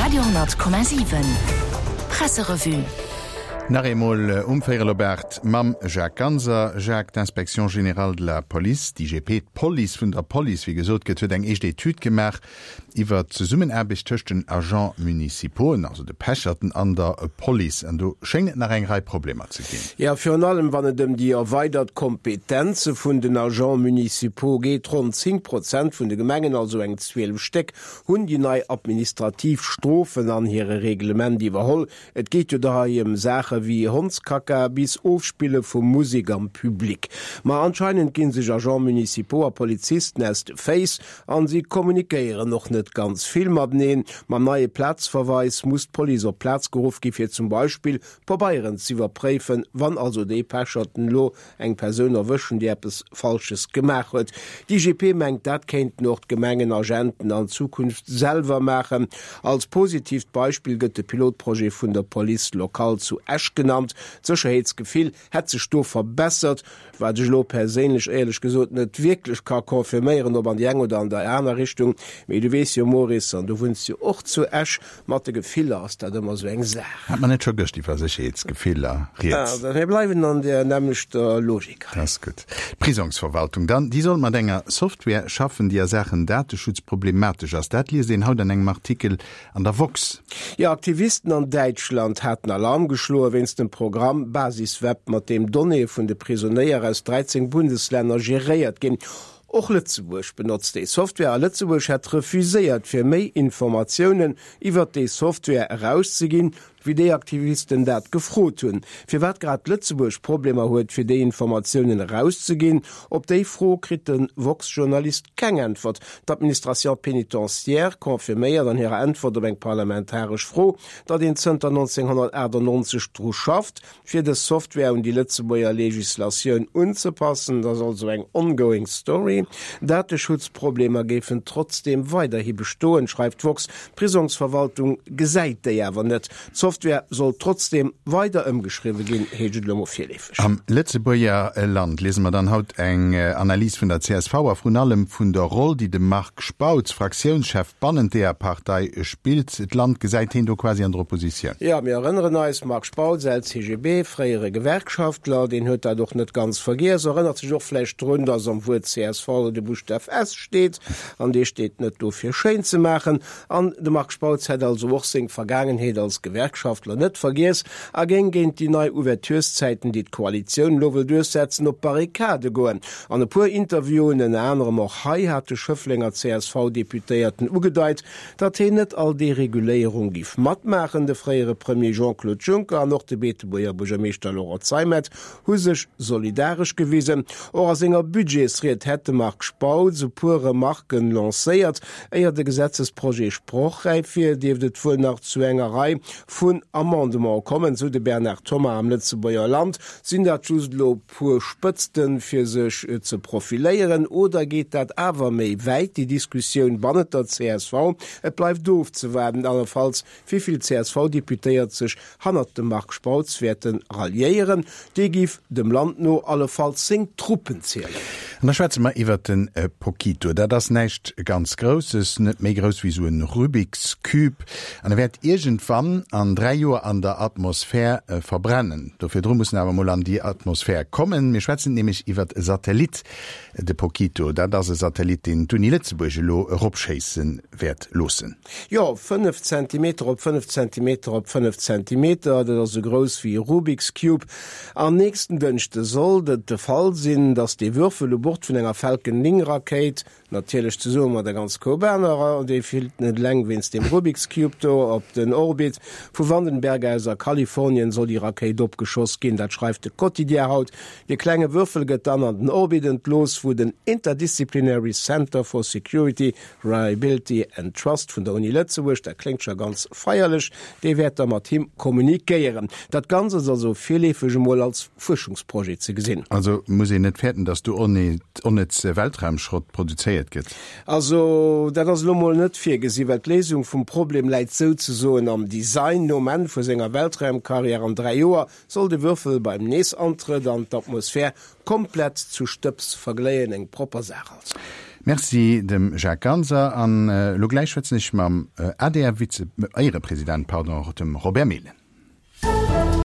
Radio,7 Presserevue. Nach eemol um véierel op 8 mam Jacques Ganser. Jacques, d'Inspection générale de la Police, d'IGP, d'Police vun der Police, wéi gesot gëtt, huet eng éischt Etüd gemaach iwwer d'Zesummenaarbecht tëscht den Agents municipauxen, also de Pecherten, an der Police. An do schéngt et nach eng Rei Problemer ze ginn. Jo, virun allem wann et ëm déi erweidert Kompetenze vun den Agents municipaux geet. Ronn 10 Prozent vun de Gemengen, also eng 12 Stéck, hunn déi nei administrativ Strofen an hire Reglement iwwerholl. Et geet jo da hei ëm Saache wéi Hondskacka bis Ofspille vu Musek am Public. Ma anscheinend gi sech Agents municipaux a Polizisten aus de Féiss an si kommunikéieren och net ganz vill mateneen. Mam neie Plazverweis muss d'Police op d'Plaz geruff gi fir zum Beispill Pabeieren z'iwwerpréifen, wann also déi Pecherten elo eng Persoun erwëschen, déi eppes Falsches gemaach huet. D'IGP mengt, dat kéinten och d'Gemengenagenten an Zukunft selwer maachen. Als positiivt Beispill gëtt de Pilotprojet vun der Police locale zu Esch genannt. D'Sécherheetsgefill hätt sech do verbessert, wat ech elo perséinlech éierlech gesot net wierklech ka confirméieren, ob an déi eng oder an déi aner Richtung. Mee du weess jo, Maurice, an du wunns jo och zu Esch, Mat de Gefiller ass dat ëmmer esou eng Saach. Hat mer net scho gëscht iwwer Sécherheetsgefiller rieds? Mir bleiwen an där nämmlechter Logik hei. Dat ass gutt. D'Prisongsverwaltung dann, déi soll mat enger Software schaffen, déi a Saachen Dateschutz problematesch ass. Dat liest een haut an engem Artikel an der woxx. Jo, Aktivisten an Däitschland haten Alarm geschloe wéinst dem Programm Basisweb, mat deem Donnéeë vun de Prisonéier aus 13 Bundeslänner geréiert ginn. Och Lëtzebuerg benotzt déi Software a Lëtzebuerg hätt refuséiert fir méi Informatiounen iwwert déi Software erauszeginn, wéi déi Aktivisten dat gefrot hunn. Firwat grad Lëtzebuerg Problemer huet fir déi Informatiounen erauszeginn, op déi Fro kritt de woxx-Journalist keng Äntwert. D'Administration pénitentiaire confirméiert an hirer Äntwert op eng parlamentaresch Fro, datt een zënter 1998 dru schafft, Fir dës Software un déi Lëtzebuerger Legislatioun unzepassen, dat ass also eng ongoing story. Dateschutzproblemer géifen trotzdeem weiderhi bestoen, schreift d'woxx. D'Prisongsverwaltung gesäit déi awer net. D'Software soll trotzdeem weider ëmgeschriwwe ginn, heescht et elo mol virleefeg. Am Lëtzebuerger Land liese mer dann haut eng Analys vun der csv a vrun allem vun der Roll, déi de Marc Spautz, Fraktiounschef bannent deeër Partei, spillt. D'Land gesäit heen do quasi an der Oppositioun. Jo, mir erënneren eis, Marc Spautz, LCGB, fréiere Gewerkschaftler, deen huet dat och net ganz vergiess, erënnert sech och vläicht drun, datt am Wuert csv de Buschtaf S steet, an dee steet net do fir schéin ze maachen. An de Marc Spautz hätt also och seng Vergaangenheet als Gewerkschaftler net vergiess a géing géint déi nei Ouvertureszäiten, déi d'Koalitioun elo wëll duerchsetzen, op d'Barrikade goen. An e puer Interviewen, ënner anerem och hei, hat de Schëfflenger CSV-Deputéierten ugedeit, datt heen net all Dereguléierung giff matmaachen. De fréiere Premier Jean-Claude Juncker an och de Beetebuerger Buergermeeschter Laurent Zeimet hu sech solidaresch gewisen. Och a senger Budgetsried hätt de Marc Spautz e puer Remarken lancéiert. Éier de Gesetzesprojet sprochräif wier, dierft et wuel nach zu enger Rei vun Amendementen kommen, sou de Bernard Thomas am Lëtzebuerger Land. Sinn dat just elo puer Spëtzten, fir sech ze profiléieren, oder geet dat awer méi wäit, déi Diskussioun bannent der csv? Et bleift ofzewaarden allefalls, wéi vill CSV-Deputéiert sech hannert dem Marc Spautz wäerte ralliéieren. Dee giff dem Land no allefalls seng Truppen zielen. An da schwätze mer iwwert de Pokito. Dat ass näischt ganz Grousses, net méi grouss wéi esou e Rubik's Cube. An e wäert iergendwann an 3 Joer an der Atmosphär verbrennen. Do virdru muss en awer mol an déi Atmosphär kommen. Mir schwätzen nämlech iwwert e Satellit, de Pokito. Dat ass e Satellit, deen d'Uni Lëtzebuerg elo eropschéisse wäert loossen. Jo, 5 Zentimeter op 5 Zentimeter op 5 Zentimeter, dat ass esou grouss wéi e Rubik's Cube. An nächsten Dënschde sollt et de Fall sinn, datt dee Würfel u Bord vun enger Falcon 9 Rakéit, Natierlech zesumme mat der ganz Koup anerer, déi fillt net eleng wéinst deem Rubik's Cube do op den Orbit. Vu Vandenberg aus a Kalifornien soll déi Rakéit opgeschoss ginn, dat schreift de Quotidien haut. Dee klenge Würfel gëtt dann an den Orbit entlooss, wou den Interdisciplinary Center for Security, Reliability and Trust vun der Uni Lëtzebuerg, dat kléngt scho ganz feierlech, dee wäert da mat him kommunikéieren. Dat Ganzt ass also virleefeg emol als Fuerschungsprojet ze gesinn. Also muss een net fäerten, datt do onnëtz Weltraumschrott produzéiert gëtt? Also dat ass elo mol net virgesi, well d'Léisung vum Problem läit souzesoen am Design. Nom Enn vu senger Weltraumkarriär an 3 Joer soll de Würfel beim Neesantrëtt an d'Atmosphär komplett zu Stëbs vergléien. Eng propper Saach also. Merci dem Jacques Ganser. An elo gläich schwätzen ech mam ADR-Vize-, Éierepresident, pardon, dem Robert Mehlen.